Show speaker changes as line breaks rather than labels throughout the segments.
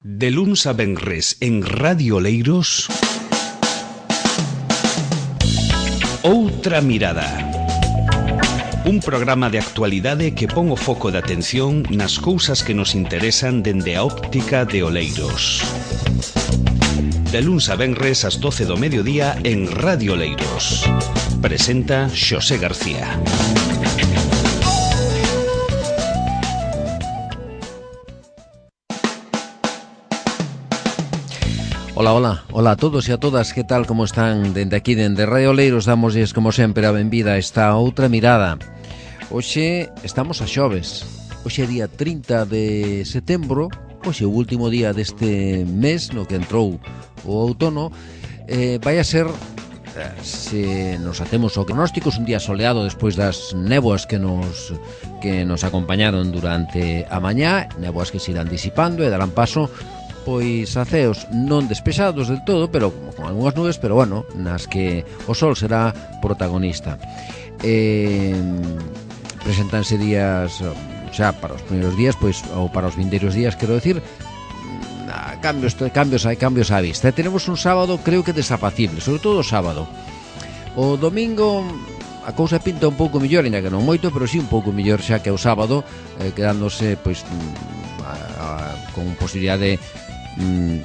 De luns a venres en Radio Oleiros, Outra Mirada. Un programa de actualidade que pon o foco de atención nas cousas que nos interesan dende a óptica de Oleiros. De luns a venres ás 12 do mediodía en Radio Oleiros. Presenta Xosé García.
Hola a todos e a todas, que tal, como están? Dende aquí, dende Radio Oleiros, damosles como sempre a benvida a esta Outra Mirada. Hoxe estamos a xoves, hoxe é día 30 de setembro, hoxe é o último día deste mes no que entrou o outono. Vai a ser, se nos atemos ao pronóstico, un día soleado despois das néboas que nos acompañaron durante a mañá, néboas que se irán disipando e darán paso pois a ceos non despexados del todo, pero con algunhas nubes, pero bueno, nas que o sol será protagonista. Presentanse días xa para os primeiros días, pois, ou para os vindeiros días, quero decir, cambios á vista. Tenemos un sábado, creo que desapacible, sobre todo o sábado. O domingo a cousa pinta un pouco mellor, ainda que non moito, pero sí un pouco mellor xa que o sábado, quedándose pois con posibilidade,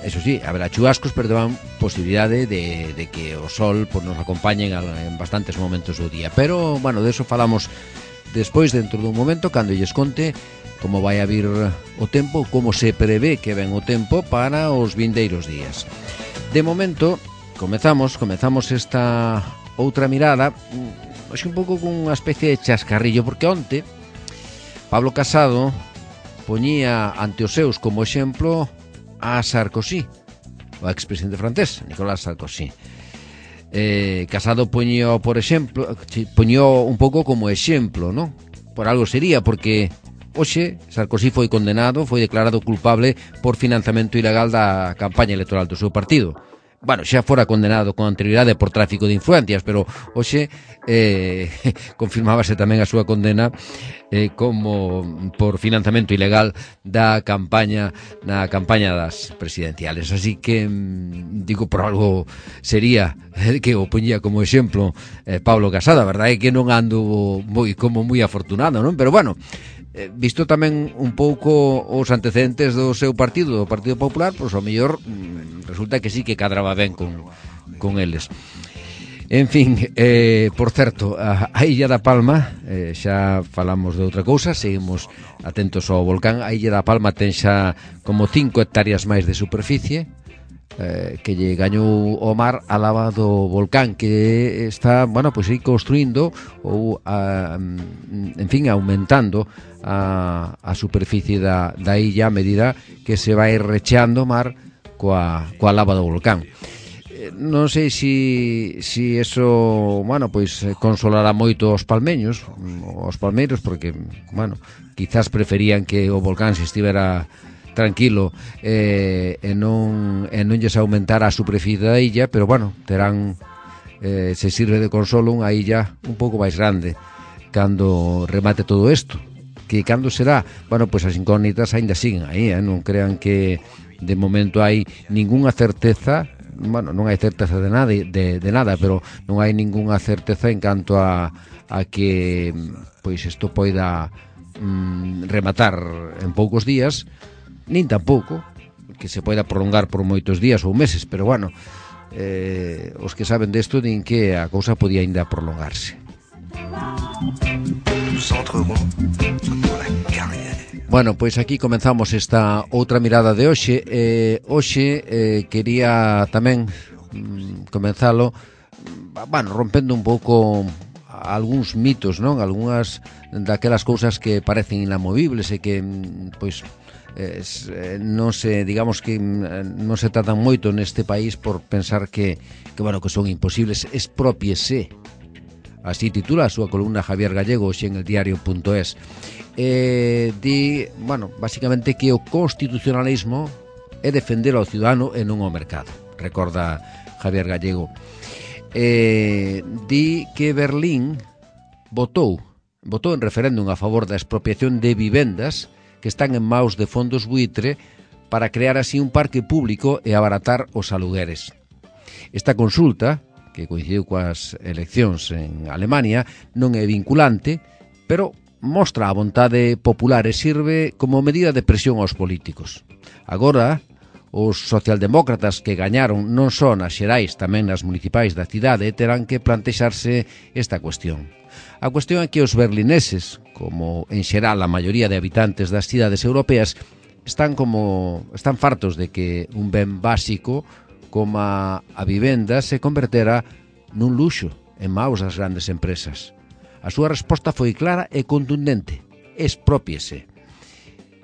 eso sí, haberá chubascos, pero dan posibilidade de que o sol pues, nos acompañe en bastantes momentos do día. Pero, bueno, de eso falamos despois, dentro dun momento, cando lles conte como vai a vir o tempo, como se prevé que ven o tempo para os vindeiros días. De momento, comezamos esta outra mirada, un pouco con unha especie de chascarrillo, porque onte Pablo Casado poñía ante os seus como exemplo a Sarkozy, o expresidente francés, Nicolas Sarkozy. Casado poñía, por exemplo, poñía un pouco como exemplo, non? Por algo sería, porque hoxe Sarkozy foi condenado, foi declarado culpable por financiamento ilegal da campaña electoral do seu partido. Bueno, xa fora condenado con anterioridade por tráfico de influencias, pero hoxe confirmábase tamén a súa condena como por financiamento ilegal da campaña das presidenciales. Así que, digo, por algo sería que o poñía como exemplo Pablo Casado. A verdade é que non ando moi afortunado, non? Pero bueno, visto tamén un pouco os antecedentes do seu partido, do Partido Popular, pois ao mellor resulta que sí que cadraba ben con eles. En fin, por certo, a Illa da Palma, xa falamos de outra cousa, seguimos atentos ao volcán. A Illa da Palma ten xa como 5 hectáreas máis de superficie, que lle gañou o mar a lava do volcán, que está, bueno, pois aí construindo ou en fin, aumentando a superficie da illa a medida que se vai recheando o mar coa lava do volcán. Non sei se eso, bueno, pois consolará moito os palmeiros, porque, bueno, quizás preferían que o volcán se estivera tranquilo e non lles aumentara a superficie da illa, pero bueno, terán, se sirve de consolo, unha illa un pouco máis grande cando remate todo isto. Que cando será? Bueno, pois as incógnitas aínda siguen aí, non crean que de momento hai ningunha certeza. Bueno, non hai certeza de nada, pero non hai ningunha certeza en canto a que pois isto poida rematar en poucos días, nin tampouco que se poida prolongar por moitos días ou meses, pero bueno, os que saben desto din que a cousa podía ainda prolongarse. Bueno, pois aquí comenzamos esta outra mirada de hoxe. Hoxe quería tamén comenzalo, bueno, rompendo un pouco algúns mitos, non? Algúnas daquelas cousas que parecen inamovibles e que, pois, non se, digamos que non se tratan moito neste país por pensar que bueno, que son imposibles. Expropiese. Así titula a súa columna Javier Gallego hoxe en el diario.es. Di, bueno, basicamente que o constitucionalismo é defender ao ciudadano e non ao mercado, recorda Javier Gallego. Di que Berlín votou en referéndum a favor da expropiación de vivendas que están en maus de fondos buitre para crear así un parque público e abaratar os alugueres. Esta consulta, que coincidiu coas eleccións en Alemania, non é vinculante, pero mostra a vontade popular e sirve como medida de presión aos políticos. Agora, os socialdemócratas que gañaron non só nas xerais, tamén nas municipais da cidade, terán que plantexarse esta cuestión. A cuestión é que os berlineses, como en xeral a maioría de habitantes das cidades europeas, están fartos de que un ben básico como a vivenda se convertera nun luxo en maus das grandes empresas. A súa resposta foi clara e contundente: exprópiese.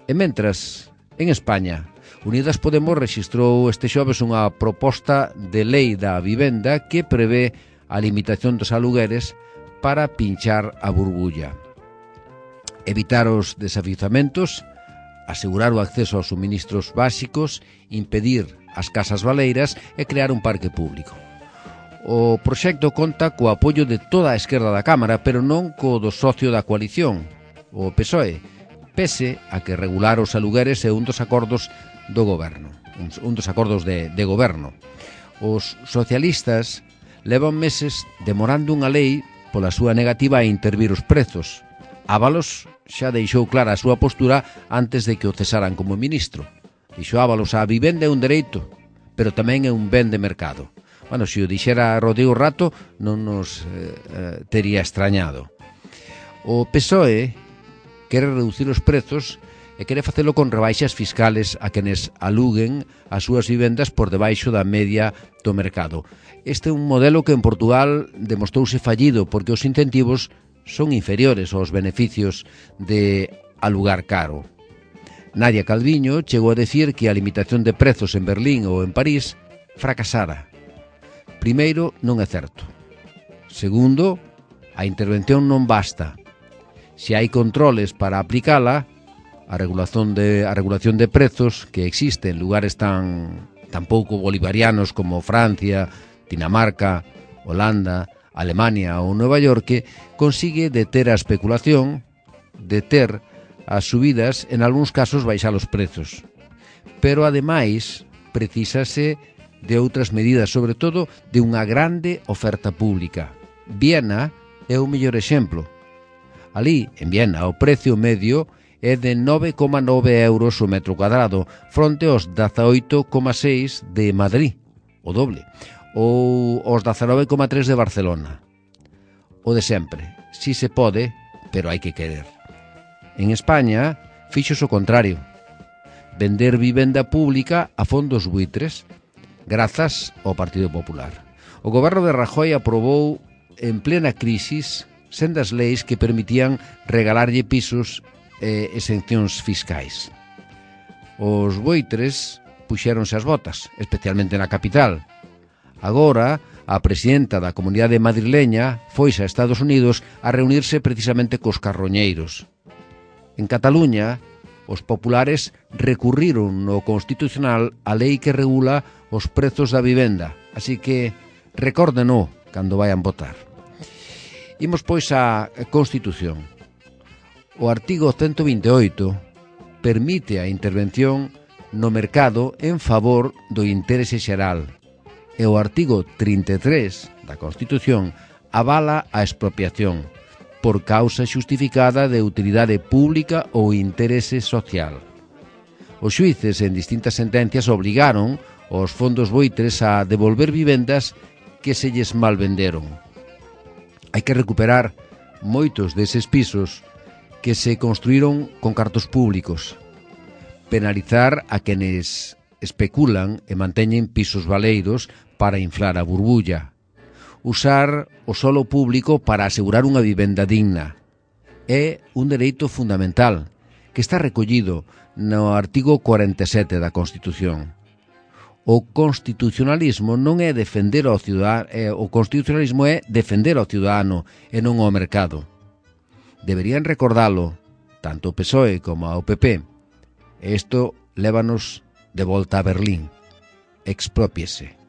E mentras, en España, Unidas Podemos rexistrou este xoves unha proposta de lei da vivenda que prevé a limitación dos alugueres para pinchar a burbulla, evitar os desafiuzamentos, asegurar o acceso aos suministros básicos, impedir as casas baleiras e crear un parque público. O proxecto conta co apoio de toda a esquerda da Cámara, pero non co do socio da coalición, o PSOE, pese a que regular os alugueres é un dos acordos do goberno, un dos acordos de goberno. Os socialistas levan meses demorando unha lei pola súa negativa a intervir os prezos. Ábalos xa deixou clara a súa postura antes de que o cesaran como ministro. Dixo Ábalos: a vivenda é un dereito, pero tamén é un ben de mercado. Bueno, se o dixera Rodrigo Rato non nos tería extrañado. O PSOE quere reducir os prezos e quere facelo con rebaixas fiscales a quenes aluguen as súas vivendas por debaixo da media do mercado. Este é un modelo que en Portugal demostrouse fallido porque os incentivos son inferiores aos beneficios de alugar caro. Nadia Calviño chegou a decir que a limitación de prezos en Berlín ou en París fracasara. Primeiro, non é certo. Segundo, a intervención non basta. Se hai controles para aplicala, a regulación de prezos que existe en lugares tan pouco bolivarianos como Francia, Dinamarca, Holanda, Alemania ou Nova York, consigue deter a especulación, deter as subidas, en algúns casos baixar os prezos. Pero, ademais, precisase de outras medidas, sobre todo de unha grande oferta pública. Viena é o mellor exemplo. Alí, en Viena, o precio medio é de 9,9 euros o metro cuadrado, fronte aos 18,6 de Madrid, o doble, ou aos 19,3 de Barcelona. O de sempre, si se pode, pero hai que querer. En España, fíxose o contrario, vender vivenda pública a fondos buitres, grazas ao Partido Popular. O goberno de Rajoy aprobou en plena crisis sendas leis que permitían regalarlle pisos e exencións fiscais. Os buitres puxéronse as botas, especialmente na capital. Agora, a presidenta da comunidade madrileña foise a Estados Unidos a reunirse precisamente cos carroñeiros. En Cataluña, os populares recurriron no Constitucional a lei que regula os prezos da vivenda, así que recórdeno cando vayan votar. Imos pois á Constitución. O artigo 128 permite a intervención no mercado en favor do interese xeral e o artigo 33 da Constitución avala a expropiación por causa xustificada de utilidade pública ou interese social. Os xuíces en distintas sentencias obrigaron os fondos buitres a devolver vivendas que se lles malvenderon. Hai que recuperar moitos deses pisos que se construíron con cartos públicos, penalizar a quenes especulan e manteñen pisos baleiros para inflar a burbulla, usar o solo público para asegurar unha vivenda digna. É un dereito fundamental que está recollido no artigo 47 da Constitución. O constitucionalismo non é defender ao cidadano, o constitucionalismo é defender ao cidadano e non ao mercado. Deberían recordalo tanto o PSOE como ao PP. E isto lévanos de volta a Berlín. Exprópiese.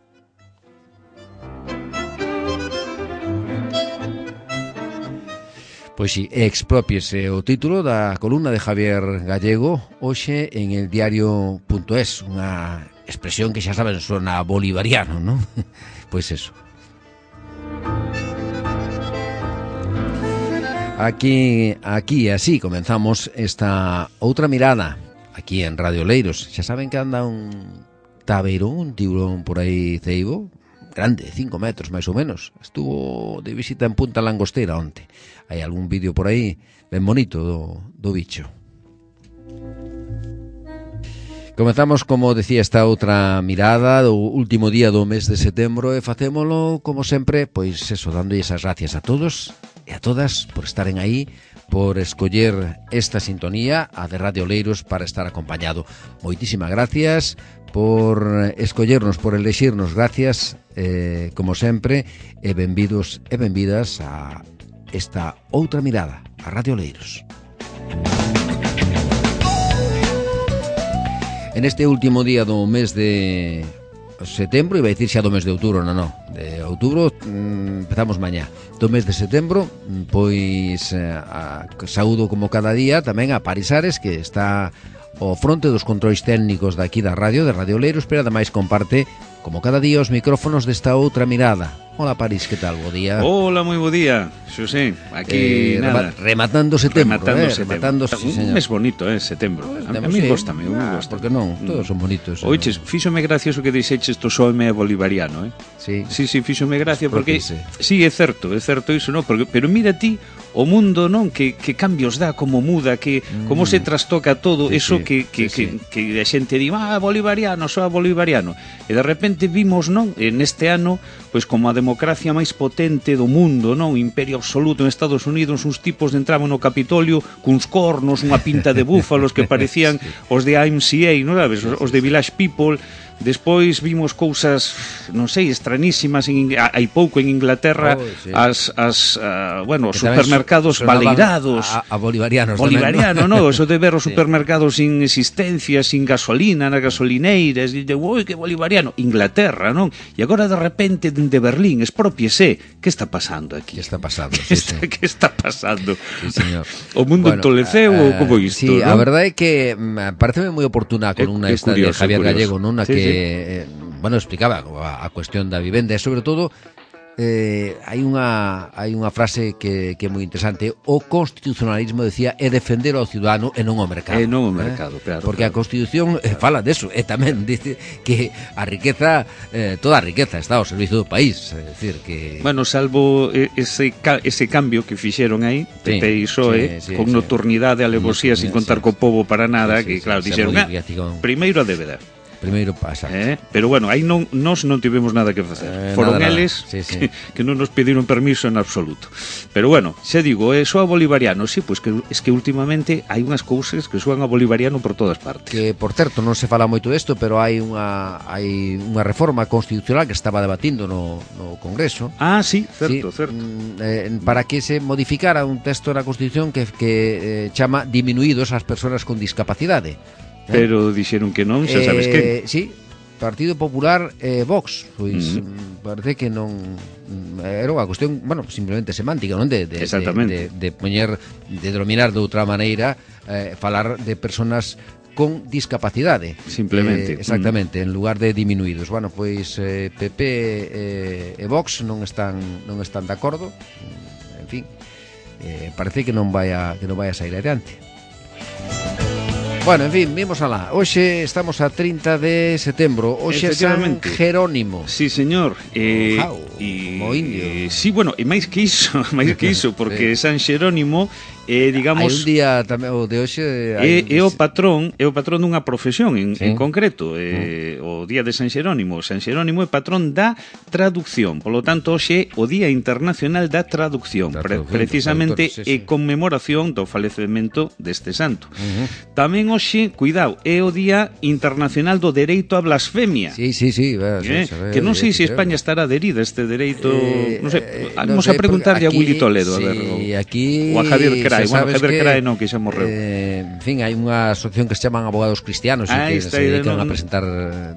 Pois si, expropiese o título da columna de Javier Gallego hoxe en el diario.es, unha expresión que xa saben sona bolivariano, non? Pois eso. Aquí así comenzamos esta outra mirada aquí en Radio Oleiros. Xa saben que anda un tabeirón, un tiburón por aí ceibo, grande, 5 metros máis ou menos. Estuvo de visita en Punta Langostera onte. Hai algún vídeo por aí ben bonito do bicho. Comezamos, como decía, esta outra mirada do último día do mes de setembro e facémolo, como sempre, pois eso, dando esas gracias a todos e a todas por estaren aí, por escoller esta sintonía, a de Radio Oleiros, para estar acompañado. Moitísimas gracias por escollernos, por elexirnos, gracias, como sempre, e benvidos e benvidas a esta outra mirada, a Radio Oleiros. En este último día do mes de setembro, iba a dicir xa do mes de outubro, non, de outubro empezamos mañá. Do mes de setembro, pois saúdo como cada día tamén a Paris Ares, que está ao fronte dos controis técnicos daqui da radio, de Radio Oleiros, pero ademais comparte, como cada día, os micrófonos desta outra mirada. Hola, París, que tal? Bo día.
Hola, moi bo día, Xosé. Aquí, nada.
Rematando setembro. Rematando,
sí, un mes bonito, setembro. A mí góstame, me gosta.
Porque non, todos son bonitos.
Oiches, fíxome gracia o que dixeches to soime bolivariano,
Sí.
Sí, fíxome gracia porque sí, é certo iso, non? Pero mira ti o mundo, non? Que cambios dá, como muda, que como se trastoca todo, sí, eso que a xente di, bolivariano, soa bolivariano. E de repente vimos, non? Neste ano, pois como a democracia máis potente do mundo, non? Imperio absoluto en Estados Unidos, uns tipos entraban no Capitolio cuns cornos, unha pinta de búfalos que parecían os de AMCA, non sabes? Os de Village People. Despois vimos cousas, non sei, estranísimas hai pouco en Inglaterra, sí. Os supermercados baleirados
a bolivarianos
non? Eso de ver os supermercados sin existencia, sin gasolina nas gasolineiras, e de, oi, que bolivariano, Inglaterra, non? E agora de repente de Berlín, expropiese, que está pasando aquí?
Que está pasando?
Que está pasando?
Sí, señor.
O mundo entoleceu ou como isto?
Sí,
¿no?
a verdade é que pareceme moi oportuna a columna esta curioso, de Javier Gallego, non? A que explicaba a cuestión da vivenda e sobre todo hai unha frase que é moi interesante. O constitucionalismo, decía, é defender ao ciudadano e non ao mercado.
E non ao mercado, claro.
Porque a Constitución fala deso, e tamén dice que a riqueza, toda a riqueza está ao servicio do país, é dicir que...
Bueno, salvo ese cambio que fixeron aí, PP e PSOE, con nocturnidade, alevosía, sin contar co pobo para nada, que claro, dixeron, primeiro a débeda.
Primeiro pasa.
Pero bueno, aí nós non tivemos nada que facer. Foron eles que non nos pediron permiso en absoluto. Pero bueno, xa digo, soa bolivariano, sí, pois que es que últimamente hai unhas cousas que soan a bolivariano por todas partes.
Que, por certo, non se fala moito desto, pero hai unha reforma constitucional que estaba debatindo no Congreso.
Ah, sí, certo.
Para que se modificara un texto na Constitución que chama diminuídos as persoas con discapacidade.
Pero dixeron que non, xa sabes que...
Sí, Partido Popular e Vox, pois parece que non era unha cuestión, bueno, simplemente semántica, non? De poñer, de denominar de outra maneira, falar de personas con discapacidade.
Simplemente.
Exactamente, en lugar de diminuídos. Bueno, pois PP e Vox non están de acordo. En fin, parece que non vai a sair adiante. Bueno, en fin, vimos alá. Hoxe estamos a 30 de setembro. Hoxe é San Jerónimo.
Sí, señor.
Mo indio.
Sí, bueno, e máis que iso, porque San Jerónimo digamos...
Hai un día tamén, o de hoxe...
É o patrón dunha profesión en concreto. O día de San Jerónimo. San Jerónimo é patrón da traducción. Por lo tanto, hoxe é o Día Internacional da Traducción. Precisamente é conmemoración do falecemento deste santo. Tamén hoxe, cuidado, é o Día Internacional do Dereito a Blasfemia.
Sí.
Que non sei se España estará adherida a este dereito... Non sei, vamos a preguntarlle a Willy Toledo, a ver,
aquí,
ou a Javier Crack. Cray, bueno, Javier Cray non, que xa morreu.
En fin, hai unha asociación que se chaman Abogados Cristianos e que se dedican a presentar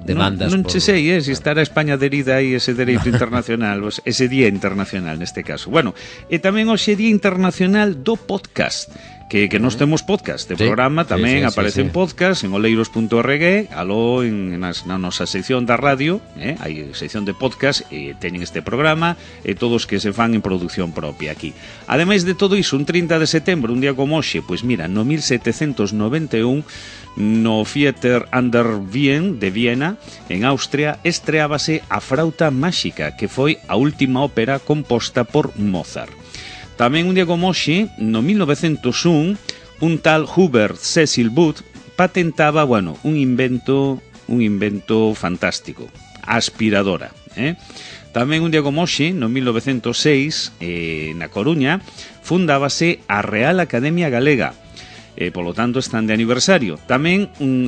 demandas.
Non che sei, se estará España adherida aí ese dereito internacional, ese día internacional neste caso. Bueno, e tamén hoxe Día Internacional do Podcast, que nós temos podcast de programa, tamén aparece en podcast en oleiros.org, aló na nosa sección da radio, hai sección de podcast e teñen este programa e todos que se fan en produción propia aquí. Ademais de todo iso, un 30 de setembro, un día como hoxe, pois mira, no 1791 no Theater an der Wien de Viena, en Austria, estreábase A Frauta Máxica, que foi a última ópera composta por Mozart. Tamén un día como hoxe, no 1901, un tal Hubert Cecil Booth patentaba, un invento fantástico, a aspiradora. Tamén un día como hoxe, no 1906, na Coruña, fundábase a Real Academia Galega. Polo tanto, están de aniversario. Tamén un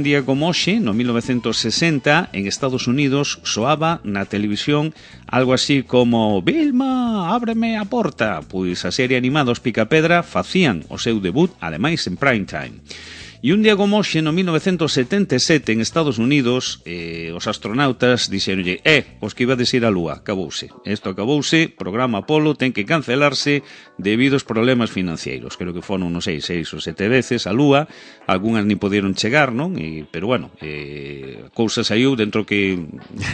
día como hoxe, no 1960, en Estados Unidos, soaba na televisión algo así como Vilma, ábreme a porta. Pois a serie animada Os Picapedra facían o seu debut, ademais, en prime time. E un día como hoxe, no 1977, en Estados Unidos, os astronautas dixeronlle, os que ibades ir á Lúa, acabouse. Isto acabouse, programa Apolo ten que cancelarse debido aos problemas financeiros. Creo que foron, non sei, 6 ou 7 veces á Lúa, algunhas nin poderon chegar, non? Pero bueno, cousa saiu dentro que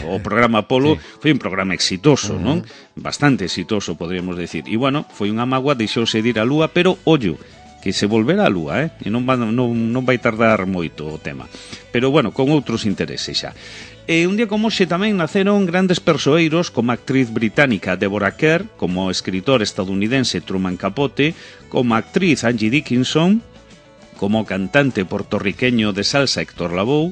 o programa Apolo foi un programa exitoso, non? Bastante exitoso, podríamos decir. E bueno, foi unha mágoa, deixouse de ir á Lúa, pero ollo, que se volverá a Lúa, e non vai tardar moito o tema. Pero, bueno, con outros intereses xa. E un día como hoxe tamén naceron grandes persoeiros como a actriz británica Deborah Kerr, como o escritor estadounidense Truman Capote, como a actriz Angie Dickinson, como o cantante portorriqueño de salsa Héctor Lavoe,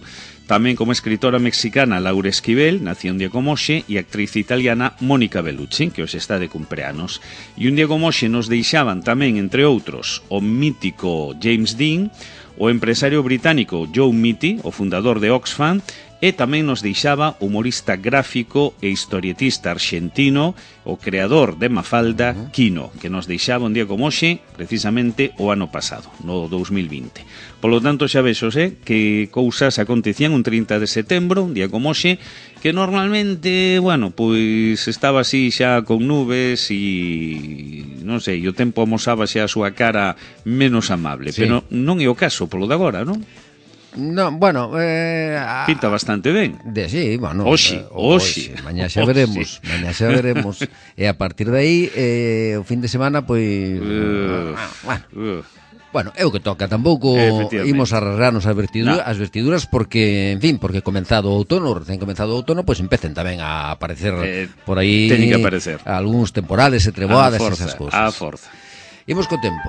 tamén como escritora mexicana Laura Esquivel, nació un día como hoxe, e actriz italiana Mónica Bellucci, que hoxe está de cumpleanos. E un día como hoxe nos deixaban tamén, entre outros, o mítico James Dean, o empresario británico Joe Mitty, o fundador de Oxfam, e tamén nos deixaba o humorista gráfico e historietista arxentino, o creador de Mafalda, Quino, que nos deixaba un día como hoxe, precisamente o ano pasado, no 2020. Polo tanto, xa vexos, que cousas acontecían un 30 de setembro, un día como hoxe, que normalmente, pois estaba así xa con nubes e, non sei, o tempo amosaba xa a súa cara menos amable, pero non é o caso polo de agora, non?
No,
pinta bastante ben.
Sí,
Oxe.
Mañá xa veremos. E a partir de aí, o fin de semana, pois... é o que toca. Tampouco imos a rasgarnos as vestiduras porque, en fin, porque recén comenzado o outono, pois empecen tamén a aparecer por aí algúns temporales e treboadas e esas cousas.
A forza.
Imos co tempo.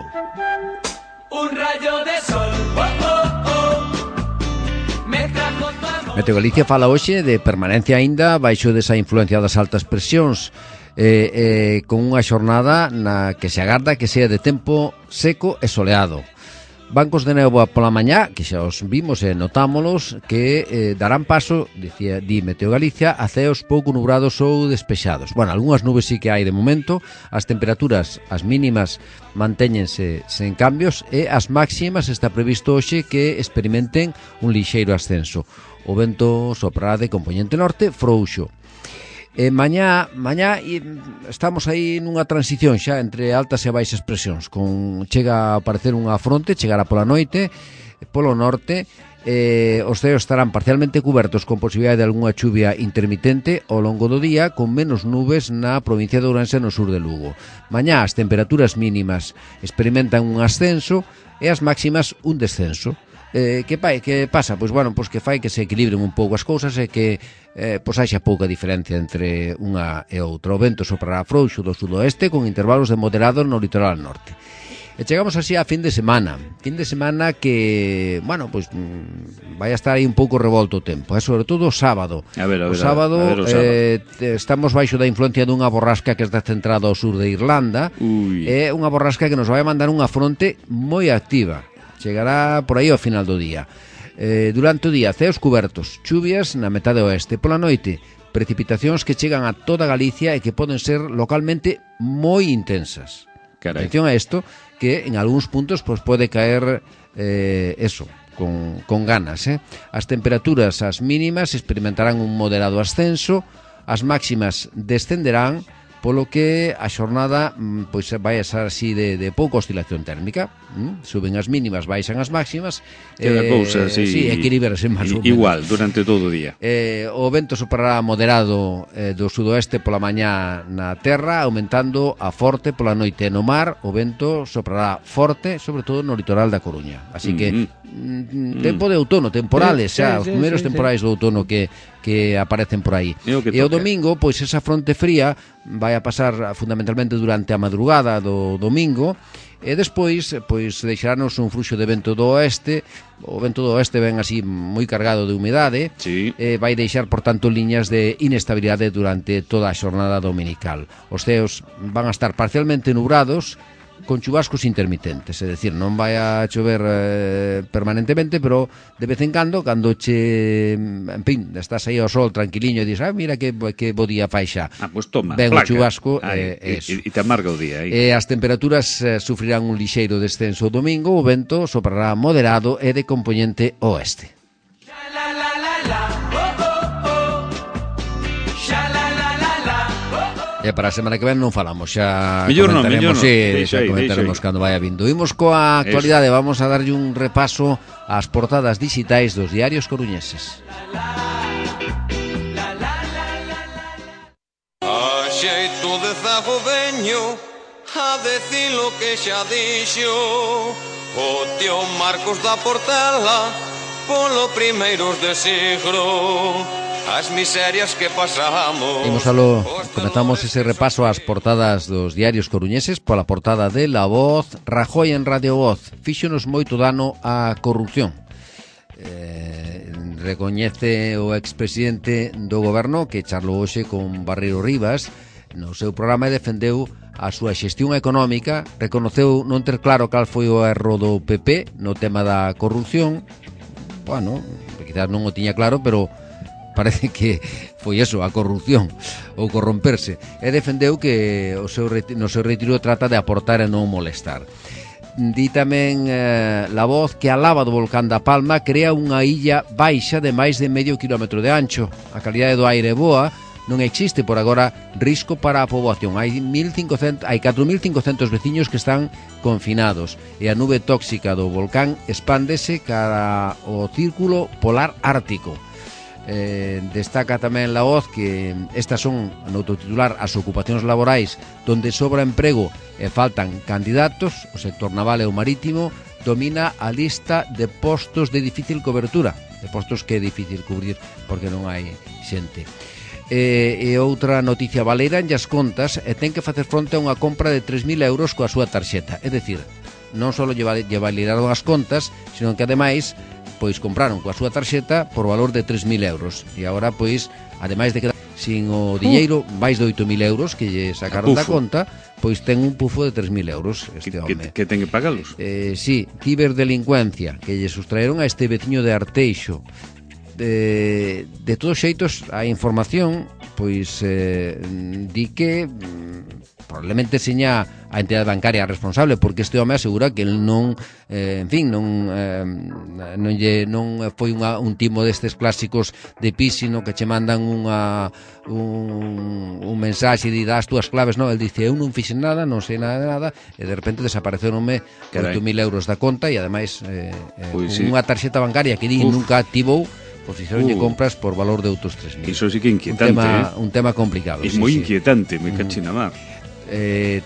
Un rayo de sol,
Meteo Galicia fala hoxe de permanencia aínda baixo desa influencia das altas presións, con unha xornada na que se agarda que sea de tempo seco e soleado. Bancos de néboa pola mañá, que xa os vimos e notámolos, que darán paso, di Meteo Galicia, a ceos pouco nubrados ou despexados. Algunhas nubes sí que hai de momento, as temperaturas, as mínimas, mantéñense sen cambios e as máximas está previsto hoxe que experimenten un lixeiro ascenso. O vento soprará de compoñente norte frouxo. Mañá estamos aí nunha transición xa entre altas e baixas presións, chega a aparecer unha fronte, chegará pola noite, polo norte, os ceos estarán parcialmente cubertos con posibilidade de algunha chuvia intermitente ao longo do día, con menos nubes na provincia de Ourense no sur de Lugo. Mañá as temperaturas mínimas experimentan un ascenso e as máximas un descenso. Que pasa? Pois que fai que se equilibren un pouco as cousas e que haxa pouca diferencia entre unha e outra. O vento soprará frouxo do sudoeste con intervalos de moderado no litoral norte. E chegamos así a fin de semana que, vai a estar aí un pouco revolto o tempo, sobre todo o sábado. O sábado estamos baixo da influencia dunha borrasca que está centrada ao sur de Irlanda. É unha borrasca que nos vai mandar unha fronte moi activa. Chegará por aí ao final do día. Durante o día, ceos cubertos, chuvias na metade oeste. Pola noite, precipitacións que chegan a toda Galicia e que poden ser localmente moi intensas. Atención a esto, que en algúns puntos pues, pode caer con ganas. As temperaturas, as mínimas, experimentarán un moderado ascenso, as máximas descenderán, polo que a xornada pois vai a ser así de pouca oscilación térmica. Suben as mínimas, baixan as máximas.
Queda cousa, sí,
equilibrarse máis ou menos.
Igual, durante todo o día.
O vento soprará moderado do sudoeste pola mañá na terra, aumentando a forte pola noite. No mar, o vento soprará forte, sobre todo no litoral da Coruña. Así que tempo de outono, temporales, os primeiros temporais do outono que aparecen por aí. E o domingo, pois esa fronte fría vai a pasar fundamentalmente durante a madrugada do domingo, e despois pois deixaranos un fluxo de vento do oeste. O vento do oeste ven así moi cargado de humidade, vai deixar por tanto liñas de inestabilidade durante toda a xornada dominical. Os ceos van a estar parcialmente nubrados, con chubascos intermitentes, é dicir, non vai a chover permanentemente, pero de vez en cando che, en fin, estás aí ao sol tranquiliño e dis, mira que bo día fai xa.
Pues toma,
ben
placa.
O chubasco
e te amarga o día.
As temperaturas sufrirán un lixeiro descenso o domingo, o vento soprará moderado e de compoñente oeste. E para a semana que ven non falamos, xa comentaremos, xa comentaremos cando vaya vindo. Imos coa actualidade, vamos a darlle un repaso ás portadas digitais dos diarios coruñeses.
A xeito de zago veño a decir lo que xa dixo o tío Marcos da Portela polo primeiros de siglo. As miserias que pasamos.
Comezamos ese repaso ás portadas dos diarios coruñeses pola portada de La Voz. Rajoy en Radio Voz fíxonos moito dano á corrupción. Recoñece o expresidente do goberno que charlou hoxe con Barreiro Rivas no seu programa e defendeu a súa xestión económica, reconoceu non ter claro cal foi o erro do PP no tema da corrupción. Bueno, quizás non o tiña claro, pero parece que foi eso, a corrupción ou corromperse, e defendeu que no seu retiro trata de aportar e non molestar. Di tamén La Voz que a lava do volcán da Palma crea unha illa baixa de máis de medio quilómetro de ancho. A calidade do aire é boa, non existe por agora risco para a poboación. Hai 4.500 veciños que están confinados e a nube tóxica do volcán expándese cara ao círculo polar ártico. Destaca tamén La Voz que estas son, no autotitular, as ocupacións laborais donde sobra emprego e faltan candidatos. O sector naval e o marítimo domina a lista de postos de difícil cobertura, de postos que é difícil cubrir porque non hai xente. E outra noticia, baleira as contas e ten que facer fronte a unha compra de 3.000 euros coa súa tarxeta. É dicir, non só lle validaron as contas, sino que ademais pois compraron coa súa tarxeta por valor de 3.000 euros. E agora, pois, ademais de quedar sin o diñeiro, máis de 8.000 euros que lle sacaron da conta, pois ten un pufo de 3.000 euros este home.
Que ten que pagalos?
Sí, ciberdelincuencia, que lle sustraeron a este veciño de Arteixo. De todos xeitos, a información, pois, di que probablemente seña a entidade bancaria responsable, porque este home asegura que el non, en fin, non foi un timo destes clásicos de phishing, que che mandan un mensaxe e das túas claves, non, el dice, eu non fixen nada, non sei nada de nada, e de repente desaparecerome 8.000 euros da conta e ademais unha tarxeta bancaria que di nunca activou, pois fixeronlle compras por valor de outros 3.000.
Iso sí que é inquietante.
Un tema complicado.
É moi inquietante, moi cachina mar.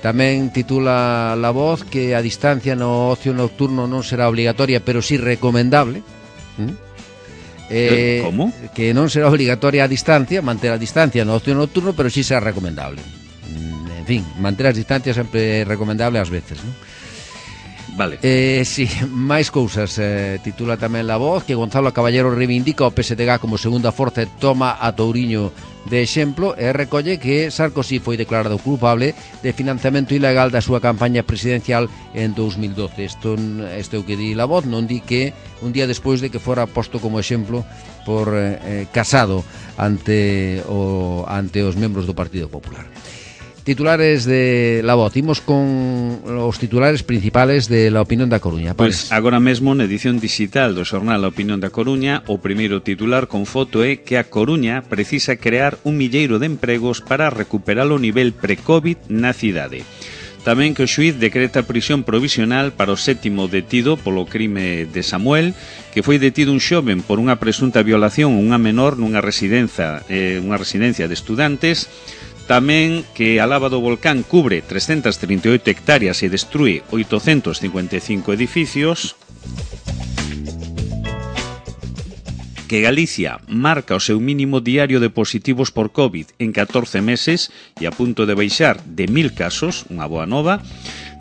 Tamén titula La Voz que a distancia no ocio nocturno non será obligatoria, pero sí recomendable.
Como?
Que non será obligatoria a distancia, manter a distancia no ocio nocturno, pero sí será recomendable. En fin, manter as distancias sempre é recomendable ás veces, non?
Vale.
Sí, máis cousas. Titula tamén La Voz que Gonzalo Caballero reivindica o PSDG como segunda forza e toma a Touriño de exemplo, e recolle que Sarkozy foi declarado culpable de financiamento ilegal da súa campaña presidencial en 2012. Isto é o que di La Voz, non di que un día despois de que fora posto como exemplo por Casado ante os membros do Partido Popular. Titulares de La Voz. Imos con os titulares principales de La Opinión da Coruña.
Pois agora mesmo na edición digital do xornal La Opinión da Coruña, o primeiro titular con foto é que a Coruña precisa crear un milleiro de empregos para recuperar o nivel pre-COVID na cidade. Tamén que o xuíz decreta prisión provisional para o 7º detido polo crime de Samuel, que foi detido un xoven por unha presunta violación a unha menor nunha residencia de estudantes. Tamén que a lava do volcán cubre 338 hectáreas e destrúe 855 edificios. Que Galicia marca o seu mínimo diario de positivos por COVID en 14 meses e a punto de baixar de 1000 casos, unha boa nova.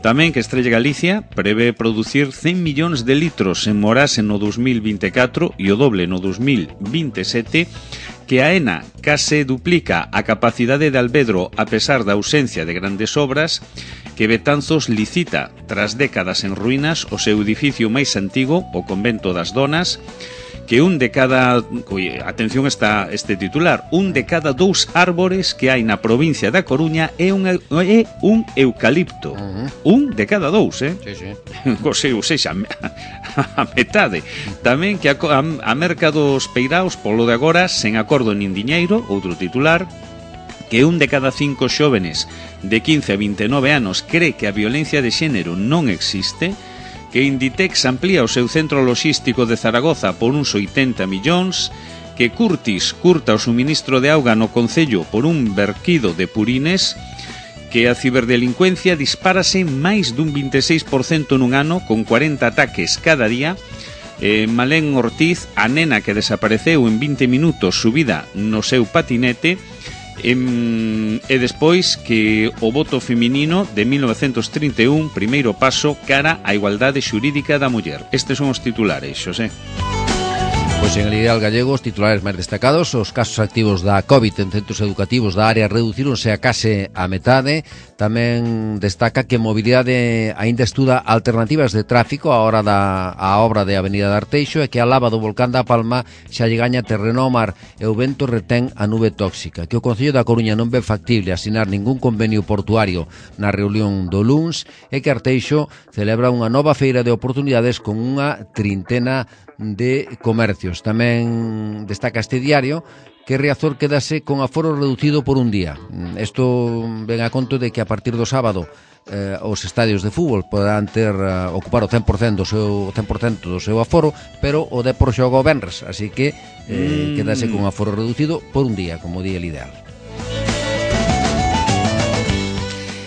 Tamén que Estrella Galicia prevé producir 100 millóns de litros en Morase no 2024 e o doble no 2027, que a ENA case duplica a capacidade de Alvedro a pesar da ausencia de grandes obras, que Betanzos licita, tras décadas en ruínas, o seu edificio máis antigo, o Convento das Donas, que atención está este titular, un de cada 2 árbores que hai na provincia da Coruña é un eucalipto. Un de cada 2, ou seja, a metade. Tamén que a merca dos peiraos polo de agora sen acordo nin diñeiro, outro titular, que un de cada 5 xóvenes de 15 a 29 anos cree que a violencia de xénero non existe, que Inditex amplía o seu centro logístico de Zaragoza por uns 80 millóns, que Curtis curta o suministro de auga no concello por un verquido de purines, que a ciberdelincuencia dispárase máis dun 26% nun ano, con 40 ataques cada día. Malén Ortiz, a nena que desapareceu en 20 minutos subida no seu patinete. E despois que o voto feminino de 1931, primeiro paso cara á igualdade xurídica da muller. Estes son os titulares, Xosé.
Pois en el Ideal Gallego os titulares máis destacados: os casos activos da COVID en centros educativos da área reducironse a case a metade. Tamén destaca que Mobilidade aínda estuda alternativas de tráfico á obra de Avenida de Arteixo, e que a lava do volcán da Palma xa lle gaña terreno ao mar e o vento retén a nube tóxica. Que o Concello da Coruña non ve factible asinar ningún convenio portuario na reunión do luns, e que Arteixo celebra unha nova feira de oportunidades con unha trintena de comercios. Tamén destaca este diario que Riazor quedase con aforo reducido por un día. Isto ven a conto de que a partir do sábado os estadios de fútbol poderán ocupar o 100% do seu aforo, pero o Depor xoga o venres, así que quedase con aforo reducido por un día, como di el Ideal.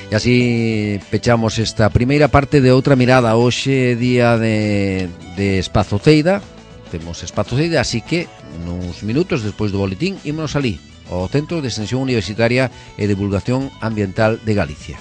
E así pechamos esta primeira parte de Outra Mirada. Hoxe día de Espazo Ceida. Temos Espazo Ceida, así que nuns minutos despois do boletín ímonos alí, ao Centro de Extensión Universitaria e Divulgación Ambiental de Galicia.